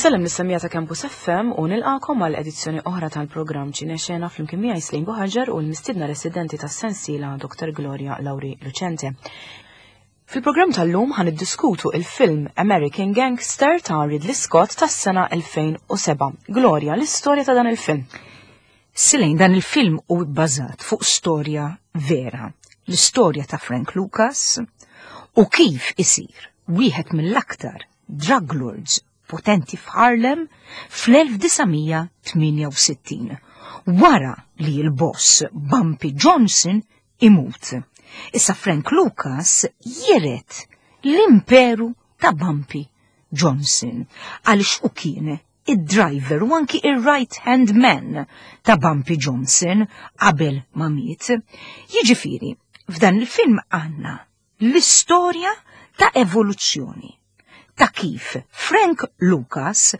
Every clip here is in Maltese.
Insellem lis-semmiegħa ta' Campus FM u nilqakom għal edizzjoni oħra tal-programm Ċinexena flimkien miegħi Slejn Buħaġar u l-mistiedna residenti tas-sensiela Dr. Gloria Lauri Lucente. Fil-programm tal-lum ħan iddiskutu il-film American Gangster ta' Ridley Scott tas-sena 2007. Gloria, l-istorja ta' dan il-film. Silejn dan il-film hu bbażat fuq storja vera, l-istorja ta' Frank Lucas u kif isir wieħed mill-aktar drug lords potenti f'Harlem fl-1968, wara li l-boss Bumpy Johnson imut. Issa Frank Lucas jiret l-imperu ta' Bumpy Johnson għaliex u kien id-driver u anki ir-right hand man ta' Bumpy Johnson qabel ma miet. Jiġifieri, f'dan il-film għandna l-istorja ta' evoluzzjoni ta' kif Frank Lucas,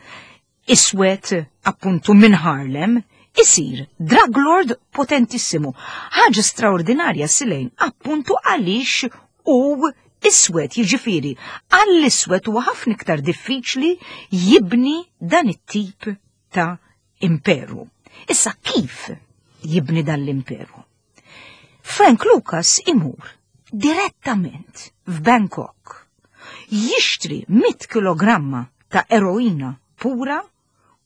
iswed appuntu minn Harlem, isir drug lord potentissimu. Ħaġa straordinarja silejn appuntu għaliex u iswed jiġifieri għall-iswed huwa ħafna iktar diffiċli jibni dan it-tip ta' imperu. Issa kif jibni dan l-imperu? Frank Lucas imur direttament f'Bangkok jixtri 100 kilogramma ta' eroina pura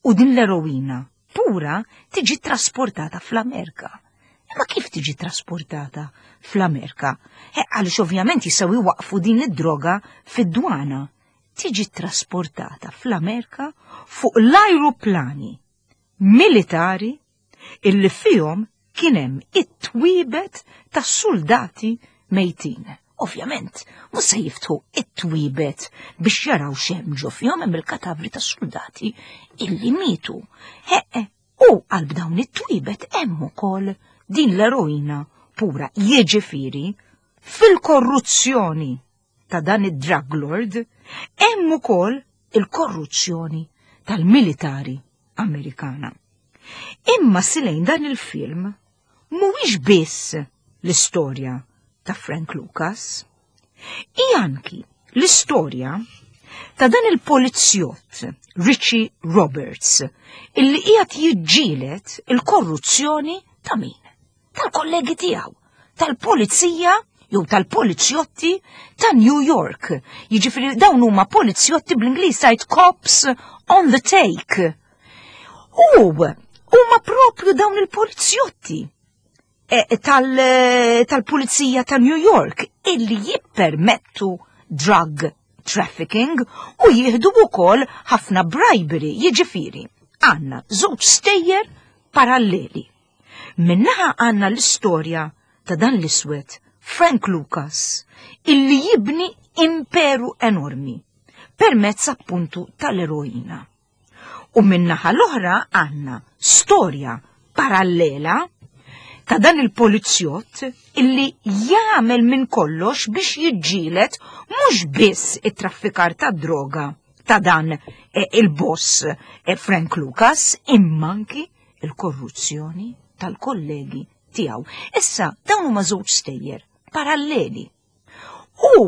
u din l-eroina pura tiġi trasportata fl-Amerika. Imma kif tiġi trasportata fl-Amerika? Eh, għaliex ovvjament jistgħu jwaqfu din id-droga fid-dwana. Tiġi trasportata fl-Amerika fuq l-ajruplani militari illi fihom kien hemm it-twiebet tas-suldati mejtin. Ovvjament, mhux se jiftħu it-twiebet biex jaraw x'hemm ġo fihom hemm il-katavri tas-suldati illi mietu. Heqe, u qalb dawn it-twiebet hemm ukoll din l-eroina pura, jiġifieri fil-korruzzjoni ta' dan id-drug lord hemm ukoll il-korruzzjoni tal-militari Amerikana. Imma silejn dan il-film mhuwiex biss l-istorja ta' Frank Lucas, hi anki l-istorja ta' dan il-polizzjott Richie Roberts illi qiegħed jiġġieled il-korruzzjoni ta' min? Tal-kollegi tiegħu, tal-pulizija jew tal-polizjotti ta' New York. Jiġifieri dawn huma polizjotti bl-Ingliż tgħid cops on the take. U huma propju dawn il-polizjotti eh, eh, tal-pulizija ta' New York illi jippermettu drug trafficking u jieħdu wkoll ħafna bribery, jiġifieri għandna żewġ stejjer paralleli. Minnaħa għandna l-istorja ta' dan l-iswed Frank Lucas illi jibni imperu enormi permezz appuntu tal-eroina. U min-naħa l-oħra għandna storja parallela ta' dan il-polizzjott illi jagħmel minn kollox biex jiġġieled mhux biss it-traffikar ta' droga ta' dan eh, il-boss eh, Frank Lucas imma anki il-korruzzjoni tal-kollegi tiegħu. Issa dawn huma żewġ stejjer paralleli. U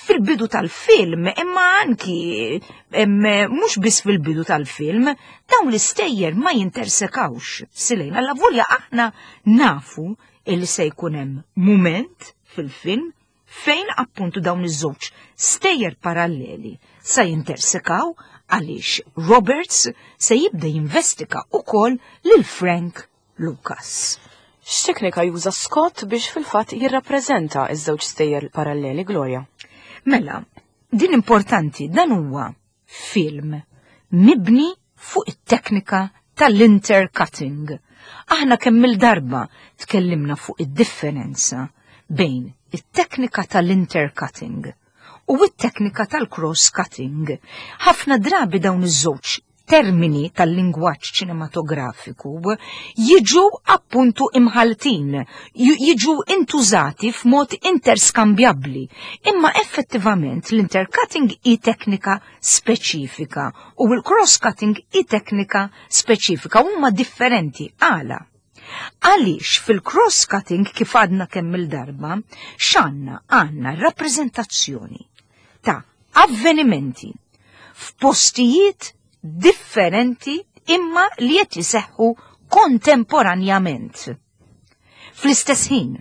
fil-bidu tal-film, imma anki mhux biss fil-bidu tal-film, dawn l-istejjer ma jintersekawx silejn. Alla volja aħna nafu illi se jkun hemm mument fil-film fejn appuntu dawn iż-żewġ stejjer paralleli sa jintersekaw għaliex Roberts se jibda jinvestiga ukoll lil Frank Lucas. X'teknika juża Scott biex fil-fatt jirrappreżenta ż-żewġ stejjer paralleli, Gloria? Mela, din importanti, dan huwa film mibni fuq it-teknika tal-intercutting. Aħna kemm il-darba tkellimna fuq id-differenza bejn it-teknika tal-intercutting u t-teknika tal-cross-cutting. Ħafna drabi dawn iż-żewġ termini tal-lingwaġġ ċinematografiku jiġu appuntu imħaltin, jiġu intużati f'mod interskambjabbli, imma effettivament l-intercutting hi teknika speċifika u l-cross-cutting hi teknika speċifika huma differenti għala. Għaliex fil-cross-cutting kif għadna kemm il-darba, x'għandna għandna rappreżentazzjoni ta' avvenimenti. f'postijiet differenti imma li qed iseħħu kontemporanjament. Fl-istess ħin.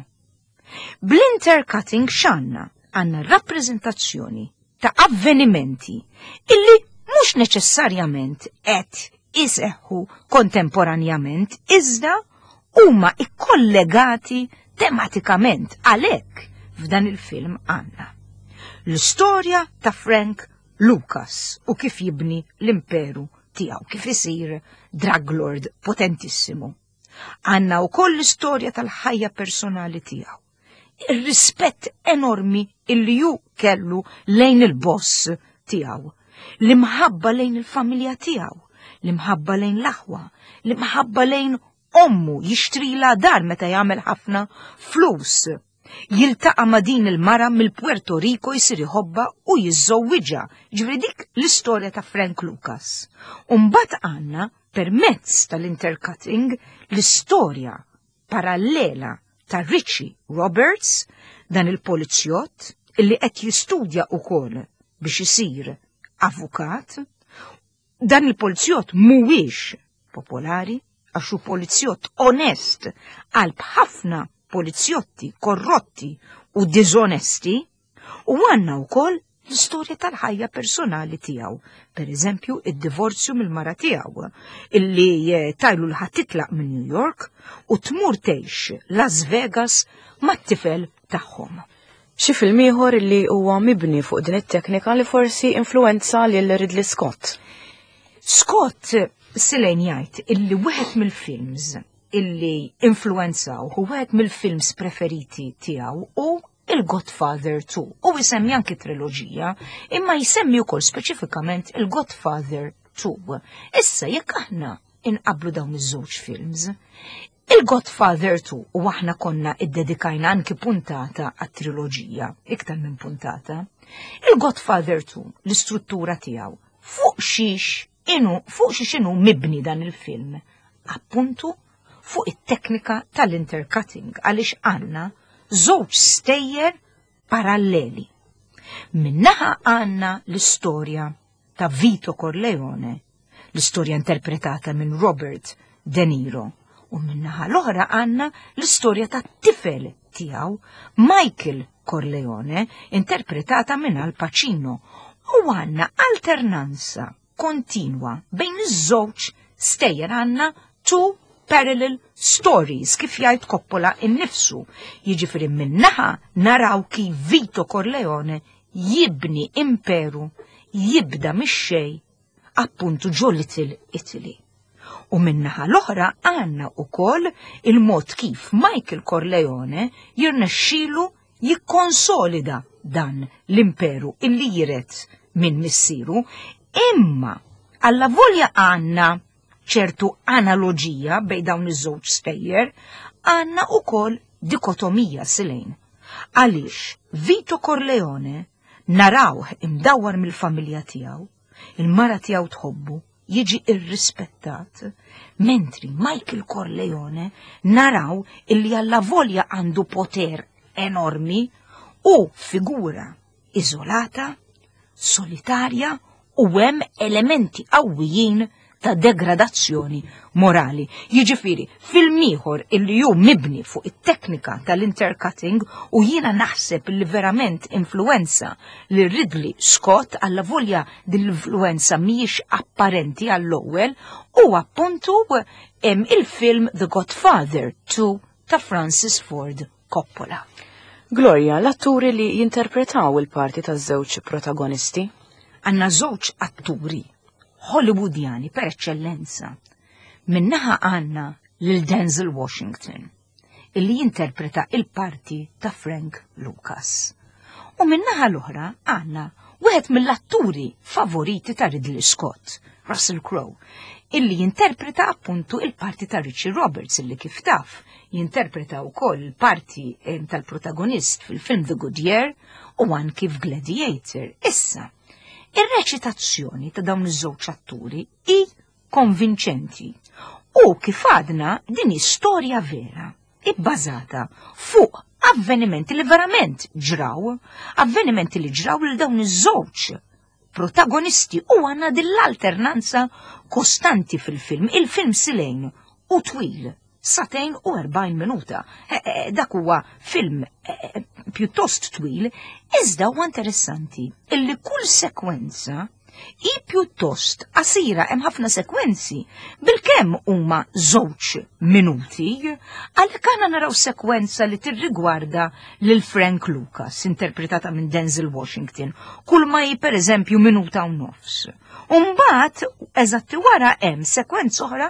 Bl-intercutting x'għandna? Għandna rappreżentazzjoni ta' avvenimenti illi mhux neċessarjament qed iseħħu kontemporanjament iżda huma ikkollegati tematikament għalhekk f'dan il-film għandna. L-istorja ta' Frank Lucas u kif jibni l-imperu tiegħu, kif isir drug lord potentissimu. Għandna wkoll l-istorja tal-ħajja personali tiegħu. Ir-rispett enormi illi ju kellu lejn il-boss tiegħu, l-imħabba lejn il-familja tiegħu, l-imħabba lejn l-aħwa, l-imħabba lejn ommu jixtrila dar meta jagħmel ħafna flus. Jiltaqa' ma' din il-mara mill-Puerto Rico jsir iħobbha u jiżżewwiġha. Ġifieri dik l-istorja ta' Frank Lucas. U mbagħad għandna permezz tal-intercutting l-istorja parallela ta' Richie Roberts, dan il-polizjott illi qed jistudja wkoll biex isir avukat. Dan il-polizjott mhuwiex popolari għax hu polizjott onest qalb ħafna polizjotti korrotti u diżonesti u għandna wkoll l-istorja tal-ħajja personali tiegħu. Per eżempju, id-divorzju mill-mara tiegħu illi eh, tajlu l titlaq minn New York u tmur tgħix Las Vegas mat-tifel tagħhom. Xi film ieħor li huwa mibni fuq din it-teknika li forsi influenza lil Ridley Scott. Scott Silejn jgħid illi wieħed mill-films illi influenzaw u wieħed mill-films preferiti tiegħu u il-Godfather 2. U jsemmi anki triloġija, imma jsemmi wkoll speċifikament il-Godfather 2. Issa jekk aħna inqablu dawn iż-żewġ films, il-Godfather 2 u aħna konna iddedikajna anki puntata għat-triloġija, iktar minn puntata, il-Godfather 2 l-istruttura tiegħu fuq xiex inu fuq xiex inhu mibni dan il-film. Appuntu fuq it-teknika tal-intercutting għaliex għandna żewġ stejjer paralleli. Minnaħa għandna l-istorja ta' Vito Corleone, l-istorja interpretata minn Robert De Niro, u minnaħa l-oħra għandna l-istorja ta' tifel tiegħu Michael Corleone, interpretata minn Al Pacino, u għandna alternanza kontinwa bejn iż-żewġ stejjer għandna two parallel stories kif jgħid Coppola innifsu. Jiġifieri minnaħa naraw kif Vito Corleone jibni imperu jibda mix-xejn appuntu ġo Little Italy. U minnaħa l-oħra għandna wkoll il-mod kif Michael Corleone jirnexxilu jikkonsolida dan l-imperu illi jiret minn missieru, imma alla volja għandna ċertu analoġija bejn dawn iż-żewġ stejjer, għandna ukoll dikotomija silejn. Għaliex Vito Corleone narawh imdawwar mill-familja tiegħu, il-mara tiegħu tħobbu, jiġi irrispettat, mentri Michael Corleone naraw illi alla volja għandu poter enormi u figura iżolata, solitarja u hemm elementi qawwijin ta' degradazzjoni morali. Jiġifieri, film ieħor illi hu mibni fuq it-teknika tal-intercutting u jiena naħseb li verament influenza li Ridley Scott alla volja din l-influenza mhijiex apparenti għall-ewwel u appuntu il-film The Godfather 2 ta' Francis Ford Coppola. Gloria, l-atturi li jinterpretaw il-parti taż-żewġ protagonisti? Għandna żewġ atturi Hollywoodjani per eċċellenza. Minnaħa għandna lil Denzel Washington, illi jinterpreta il-parti ta' Frank Lucas. U minnaħa l-oħra għandna wieħed mill-atturi favoriti ta' Ridley Scott, Russell Crowe, illi jinterpreta appuntu il-parti ta' Richie Roberts illi kif taf jinterpreta wkoll il-parti eh, tal-protagonist fil-film The Good Year u anki f'Gladiator. Issa, ir-reċitazzjoni ta' dawn iż-żewġ atturi hi konvinċenti u kif għadna din hi storja vera ibbażata fuq avvenimenti li verament ġraw, avvenimenti li ġraw lil dawn iż-żewġ protagonisti u għandna din l-alternanza kostanti fil-film. Il-film silejn u twil, satejn u 40 minuta. E, e, dak huwa film e, pjuttost twil, iżda huwa interessanti illi kull sekwenza hi pjuttost qasira hemm ħafna sekwenzi bilkemm huma żewġ minuti, għalhekk aħna naraw sekwenza li tirrigwarda lil Frank Lucas, interpretata minn Denzel Washington, kull ma hi pereżempju minuta u nofs. Umbat, eżatti wara hemm sekwenza oħra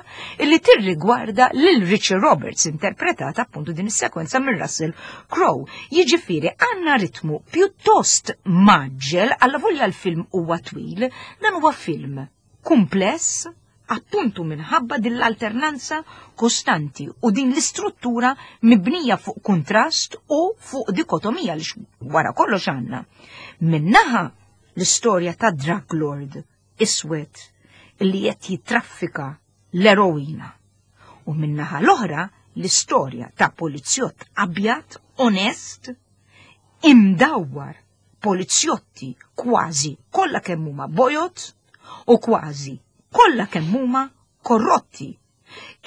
li tirrigwarda lil Richie Roberts, interpretata appuntu din is-sekwenza minn Russell Crowe. Jiġifieri għandna ritmu pjuttost maġġel, alla volja l-film huwa twil, dan huwa film kumpless, appuntu minħabba din l-alternanza kostanti u din l-istruttura mibnija fuq kuntrast u fuq dikotomija li wara kollox għandna. Minnaħa l-istorja ta' drug lord iswed li qed jitraffika l-eroina. U min-naħa l-oħra l-istorja ta' polizzjott abjad, onest, imdawwar polizjotti kważi kollha kemm huma bojod u kważi kollha kemm huma korrotti.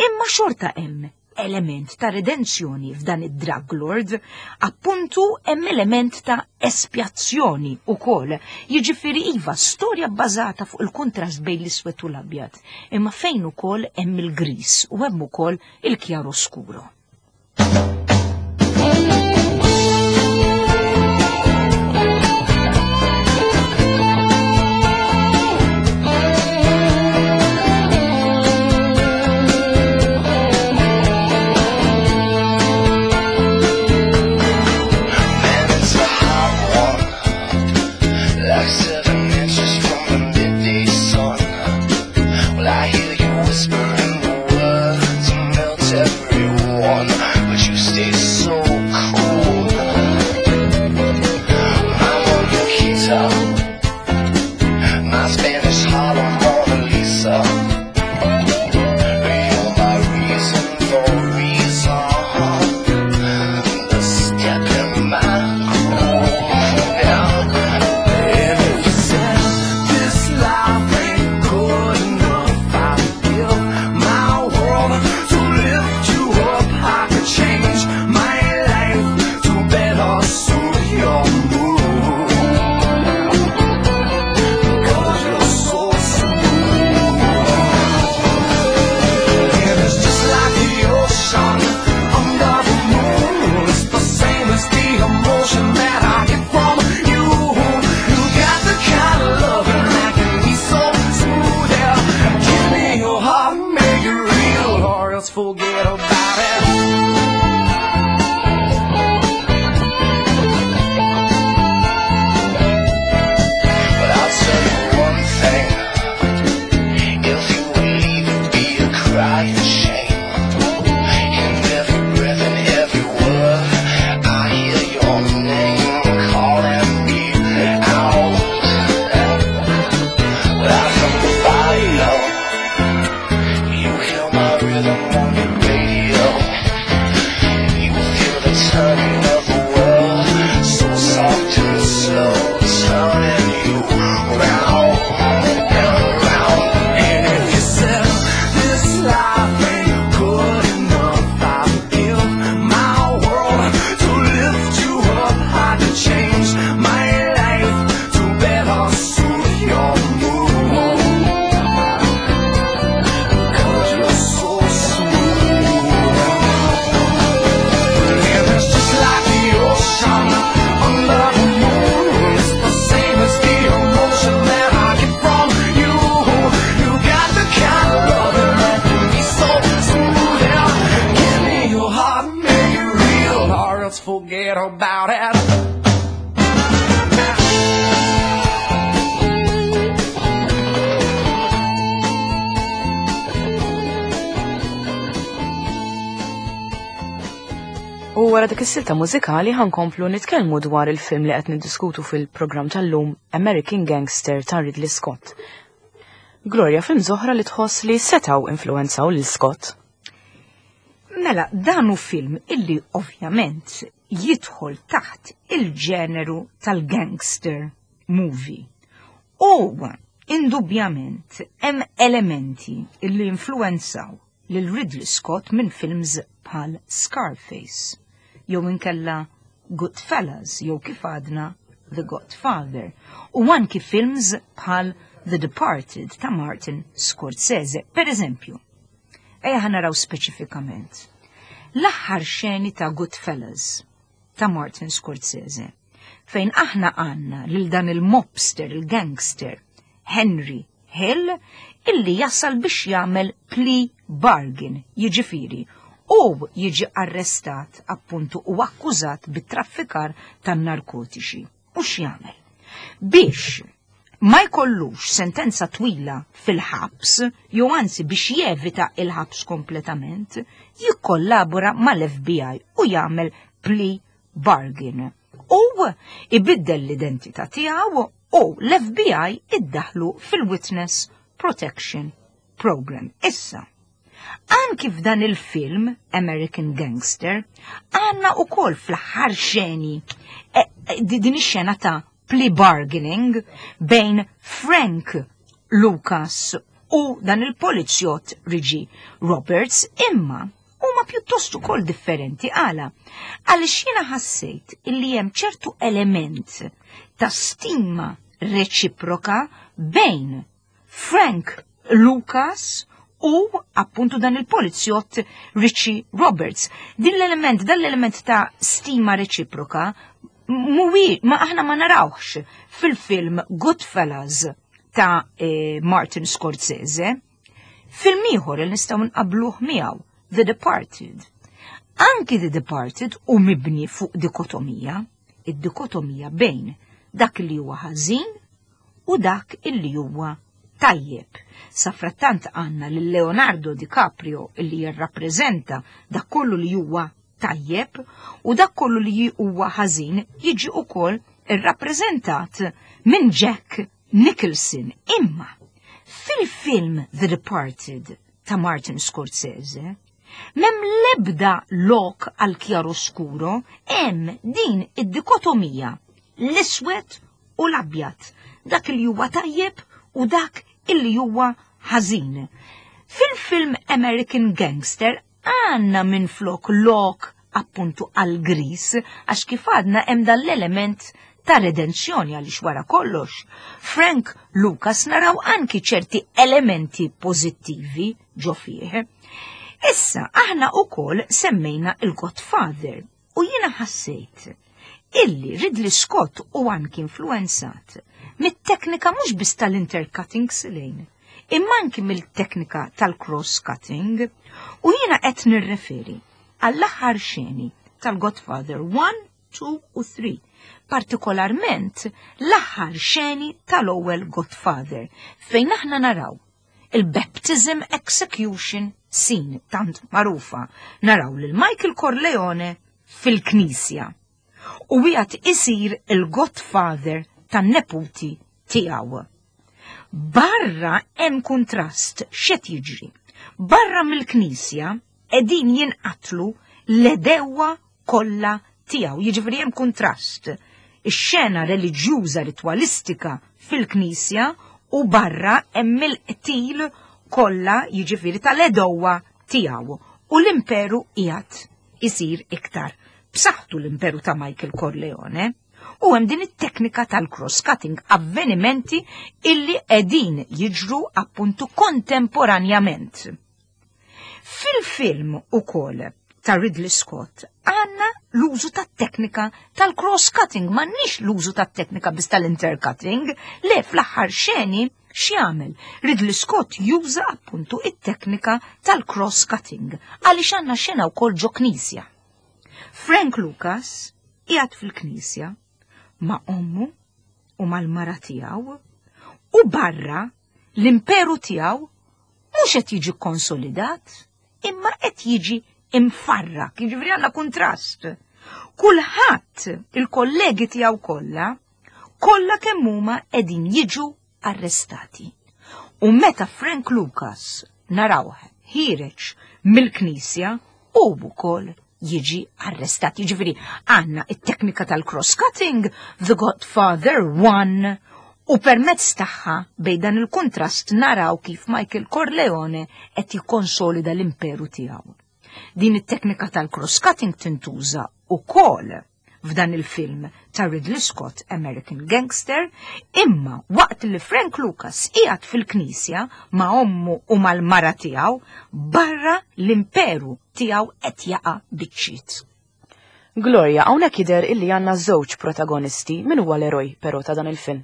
Imma xorta hemm element ta' redenzjoni f'dan id-drug lord, appuntu hemm element ta' espjazzjoni ukoll. Jiġifieri iva, storja bbażata fuq il-kuntrast bejn l-iswed u l-abjad, imma fejn ukoll hemm il-gris u hemm ukoll il-chiaroscuro. U wara dik is-silta mużikali ħankomplu nitkellmu dwar il-film li qed niddiskutu fil-programm tal-lum American Gangster ta' Ridley Scott. Gloria, film oħra li tħoss li setgħu influenzaw lil Scott. Mela, dan hu film illi ovvjament jidħol taħt il-ġeneru tal-gangster movie. U indubjament hemm elementi illi influenzaw lil Ridley Scott minn films bħal Scarface, jew inkella Goodfellas, jew kif għadna The Godfather, u anki films bħal The Departed ta' Martin Scorsese, per eżempju. Ejja ħa naraw speċifikament. L-aħħar xeni ta' Goodfellas ta' Martin Scorsese, fejn aħna għandna lil dan il-mobster, il-gangster, Henry Hill, illi jasal biex jagħmel plea bargain, jiġifieri, u jiġi arrestat appuntu u akkużat bit-traffikar tan-narkotiċi. U x'jagħmel? Biex ma jkollux sentenza twila fil-ħabs, jew anzi biex jevita il-ħabs kompletament, jikkollabora mal-FBI u jagħmel plea bargain. U ibiddel l-identità tiegħu u l-FBI iddaħlu fil-Witness Protection Program. Issa, anki f'dan il-film American Gangster, għandna ukoll fl-aħħar xeni din ix-xena ta' plea bargaining bejn Frank Lucas u dan il-polizjott Richie Roberts, imma huma pjuttost ukoll differenti. Għala? Għaliex jiena ħassejt illi hemm ċertu element ta' stima reċiproka bejn Frank Lucas u appuntu dan il-polizjott Richie Roberts. Din l-element, dan l-element ta' stima reċiproka muwi, ma aħna ma narawx fil-film Goodfellas ta' Martin Scorsese. Film ieħor li nistgħu nqabluh miegħu, The Departed. Anki The Departed u mibni fuq dikotomija, id-dikotomija bejn dak li huwa ħażin u dak illi huwa tajjeb. Safrattant għandna lil Leonardo DiCaprio illi jirrappreżenta dak kollu li huwa tajjeb u dak kollu li huwa ħażin jiġi ukoll irrappreżentat minn Jack Nicholson. Imma fil-film The Departed ta' Martin Scorsese, m'hemm l-ebda lok għal chiaroscuro, hemm din id-dikotomija, l-iswed u l-abjad, dak li huwa tajjeb u dak illi huwa ħażin. Fil-film American Gangster għandna minn flok lok appuntu għal gris, għax kif għadna hemm dan l-element ta' redenzjoni għaliex wara kollox. Frank Lucas naraw anki ċerti elementi pożittivi ġo fih. Issa, aħna ukoll semmejna il-Godfather u jiena ħassejt illi Ridley Scott u anki influenzat mit-teknika mhux biss tal-intercutting silejn, imma anki mill-teknika tal-cross-cutting, u jiena qed nirreferi għall-aħħar xeni tal-Godfather 1, 2 u 3, partikolarment l-aħħar xeni tal-ewwel Godfather, fejn aħna naraw il-baptism execution scene tant magħrufa, naraw lil Michael Corleone fil-knisja u wieħed isir il-Godfather tan-neputi tiegħu. Barra hemm kuntrast x'qed jiġri. Barra mill-knisja qegħdin jinqatlu l-edewwa kollha tiegħu. Jiġifieri hemm kuntrast. Ix-xena reliġjuża ritwalistika fil-knisja u barra hemm il-qtil kollha jiġifieri tal-edewwa tiegħu. U l-imperu qiegħed isir iktar b'saħħtu, l-imperu ta' Michael Corleone. U hemm din it-teknika tal-cross-cutting, avvenimenti illi qegħdin jiġru appuntu kontemporanjament. Fil-film ukoll ta' Ridley Scott għandna l-użu tat-teknika tal-cross-cutting, m'għandniex l-użu tat-teknika biss tal-intercutting, le fl-aħħar xeni x'jagħmel? Ridley Scott juża appuntu it-teknika tal-cross-cutting għaliex għandna xena wkoll ġo knisja. Frank Lucas qiegħed fil-knisja ma' ommu u mal-mara tiegħu u barra l-imperu tiegħu mhux qed jiġi konsolidat imma qed jiġi imfarrak, jiġifieri għandna kuntrast. Kulħadd, il-kollegi tiegħu kollha, kollha kemm huma qegħdin jiġu arrestati. U meta Frank Lucas narawh ħiereġ mill-knisja, u wkoll jiġi arrestat. Jiġifieri għandna it-teknika tal-cross-cutting, The Godfather 1. U permezz tagħha bejn dan il-kuntrast naraw kif Michael Corleone qed jikkonsolida l-imperu tiegħu. Din it-teknika tal-cross-cutting tintuża ukoll f'dan il-film ta' Ridley Scott American Gangster, imma waqt li Frank Lucas qiegħed fil-knisja ma' ommu u mal-mara tiegħu, barra l-imperu tiegħu qed jaqa' biċċiet. Gloria, hawnhekk jidher illi għandna żewġ protagonisti, min huwa l-eroj però ta' dan il-film?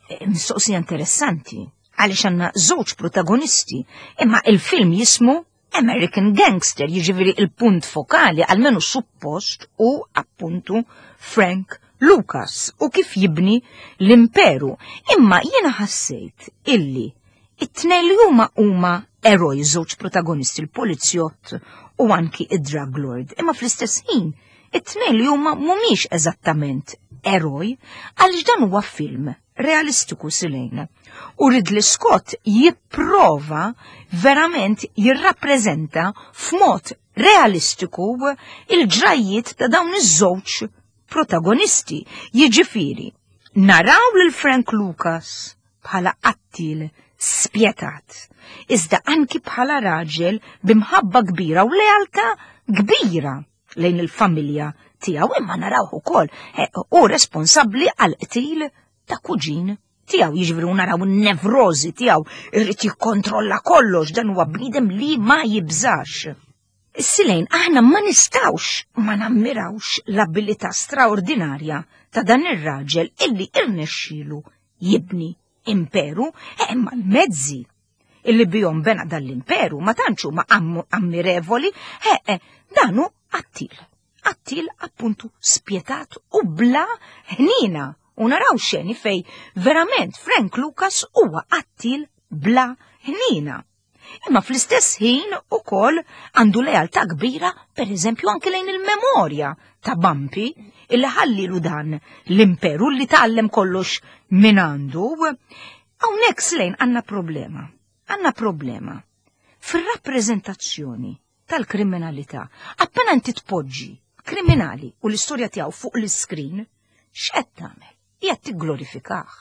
Eh, mistoqsija interessanti, għaliex għandna żewġ protagonisti, imma il-film jismu American Gangster, jiġifieri il-punt fokali, almenu suppost, u appuntu Frank Lucas u kif jibni l-imperu. Imma jiena ħassejt illi it-tnejn li huma huma eroj żewġ protagonisti l-polizjott u anki id-drug lord. Imma fl-istess ħin it-tnejn li huma mhumiex eżattament eroj għaliex dan huwa film realistiku Silejn. U Ridley Scott jipprova verament jirrappreżenta f'mod realistiku il-ġrajjiet ta' dawn iż-żewġ protagonisti. Jiġifieri, naraw lil Frank Lucas bħala qattil spjetat, iżda anki bħala raġel b'imħabba kbira u lealtà kbira lejn il-familja tiegħu imma narawh ukoll eh, hu responsabbli għal qtil ta' kuġin tiegħu, jiġifieri naraw in-nevrożi tiegħu, irid jikkontrolla kollox, dan huwa bniedem li ma jibżax. Silejn, aħna ma nistawx ma nammirawx l-abilità straordinarja ta' dan ir-raġel illi irnexxielu jibni imperu, eh, imma l-mezzi illi bihom bena dan l-imperu ma tantx huma ammirevoli, eh, eh, dan hu qattil. Qattil appuntu spjetat u bla ħnina. U naraw xeni fej verament Frank Lucas huwa qattil bla ħnina. Imma fl-istess ħin ukoll għandu lealtà kbira, per eżempju anke lejn il-memorja ta' Bumpy illi ħallilu dan l-imperu li tgħallem kollox minn għandu. Hawnhekk Slejn għandna problema. Għandna problema fir-rappreżentazzjoni tal-kriminalità. Appena inti tpoġġi kriminali u l-istorja tiegħu fuq l-iskrin, x'qed tagħmel? Qiegħed tigglorifikah,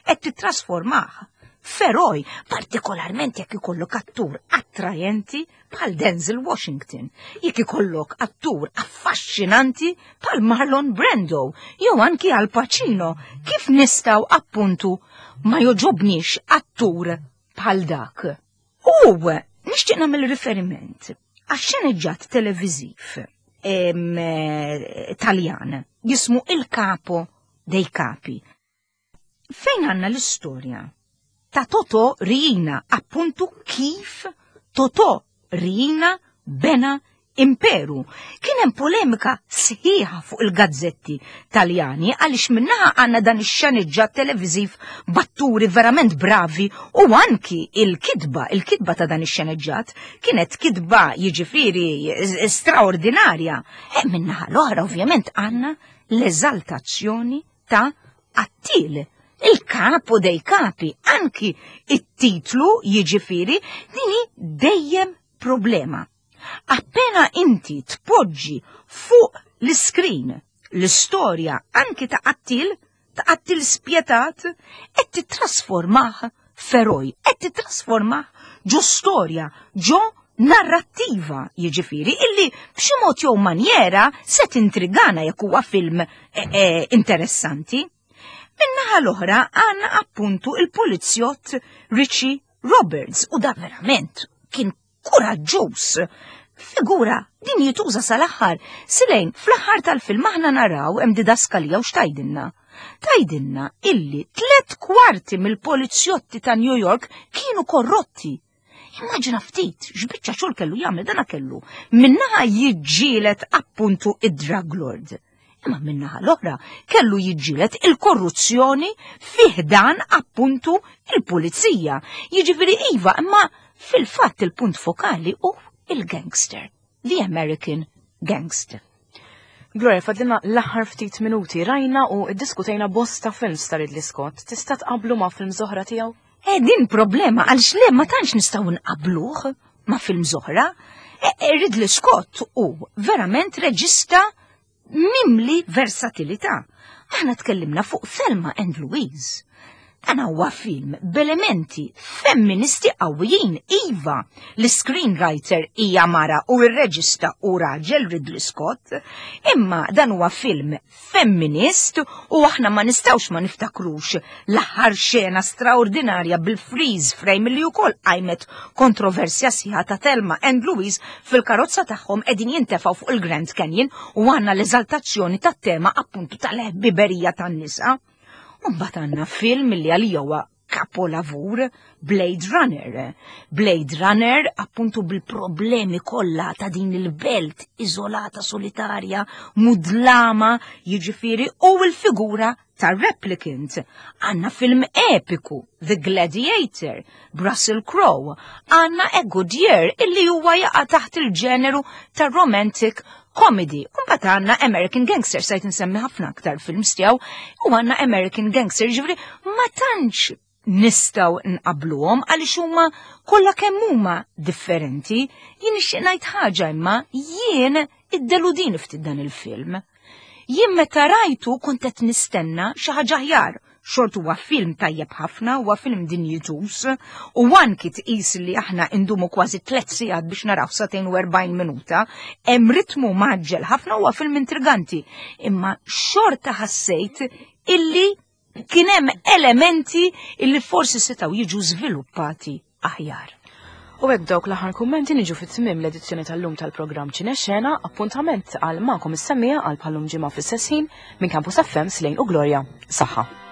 qed tittrasformah f'eroj, partikolarment jekk ikollok attur attrajenti bħal Denzel Washington, jekk ikollok attur affaxxinanti bħal Marlon Brando, jew anki Al Pacino, kif nistgħu appuntu ma joġobniex attur bħal dak. U nixtieq nagħmel riferiment għax-xeneġġat televiżiv eh, Taljan jismu Il Capo dei Capi. Fejn għandna l-istorja ta' Totò Riina, appuntu kif Totò Riina bena imperu. Kien hemm polemika sħiħa fuq il-gazzetti Taljani għaliex minnaħa għandna dan ix-xeniġġat televiżiv b'atturi verament bravi u anki il-kitba, il-kitba ta' dan ix-xeneġġat kienet kitba jiġifieri straordinarja. E minnaħa l-oħra ovvjament għandna l-eżaltazzjoni ta' qattil, il-kapu dei kapi, anki it-titlu jiġifieri din hi dejjem problema. Appena inti tpoġġi fuq l-iskrin l-istorja anki ta' qattil, ta' qattil spjetat, qed tittrasformah f'eroj, qed tittrasformah ġo storja, ġo narrattiva, jiġifieri illi b'xi mod jew manjera se tintrigana jekk huwa film eh, eh, interessanti. Min-naħa l-oħra għandna appuntu il-pulizjott Richie Roberts u da verament kien kuraġġuż. Figura din jituża sal-aħħar. Silejn, fl-aħħar tal-film aħna naraw hemm didaskalija u x'tajdilna. Tajdilna illi tlet kwarti mill-polizjotti ta' New York kienu korrotti. Immaġina ftit x'biċċa xogħol kellu jagħmel dana kellu. Minnaħa jiġġieled appuntu id-drug lord. Imma minnaħa l-oħra kellu jiġġieled il-korruzzjoni fih dan appuntu il-pulizija. Jiġifieri iva, imma fil-fatt il-punt fokali hu il-gangster, the American gangster. Gloria, fadlina l-aħħar ftit minuti rajna u ddiskutejna bosta films ta' Ridley Scott. Tista' tqablu ma' films oħra tiegħu? Eh, din problema għaliex le ma tantx nistgħu nqabluh ma' films oħra. Eh, eh, Ridley Scott hu verament reġista mimli versatilità. Aħna tkellimna fuq Thelma and Louise. Dan huwa film b'elementi femministi qawwijin, iva, l-screenwriter hija mara u r-reġista u raġel Ridley Scott, imma dan huwa film femminist u aħna ma nistgħux ma niftakrux l-aħħar xena straordinarja bil-freeze frame li wkoll qajmet kontroversja sħiħa ta' Thelma and Louise fil-karozza tagħhom qegħdin jintefgħu fuq il-Grand Canyon u għandna l-eżaltazzjoni tat-tema appuntu tal-ħbiberija tan-nisa. U mbagħad għandna film li għalija huwa kapolavur Blade Runner. Blade Runner appuntu bil-problemi kollha ta' din il-belt iżolata solitarja, mudlama, jiġifieri u l-figura ta' replicant. Għanna film epiku, The Gladiator, Russell Crowe. Għanna A Good Year illi huwa jaqa' taħt il-ġeneru ta' romantic comedy. Mbagħad għandna American Gangster, sajt nsemmi ħafna aktar films tiegħu, u għandna American Gangster, ġifieri ma tantx nistgħu nqabluhom għaliex huma kollha kemm huma differenti. Jien nixtieq ngħid ħaġa imma jien iddeludini ftit dan il-film. Jien meta rajtu kont qed nistenna xi ħaġa aħjar. Xort huwa film tajjeb ħafna, huwa film dinjituż, u anki tqis li aħna indumu kważi tliet sigħat biex naraw sagħtejn u 40 minuta, hemm ritmu mgħaġġel ħafna huwa film intriganti. Imma xorta ħassejt illi kien hemm elementi illi forsi setgħu jiġu żviluppati aħjar. U hekk dawk l-aħħar kummenti niġu fit-tmiem l-edizzjoni tal-lum tal-programm Ċinexxena, appuntament għal magħkom is-semmiegħa għal bħallum ġimgħa fl-istess ħin minn Campus FM Slejn u Gloria. Saħħa.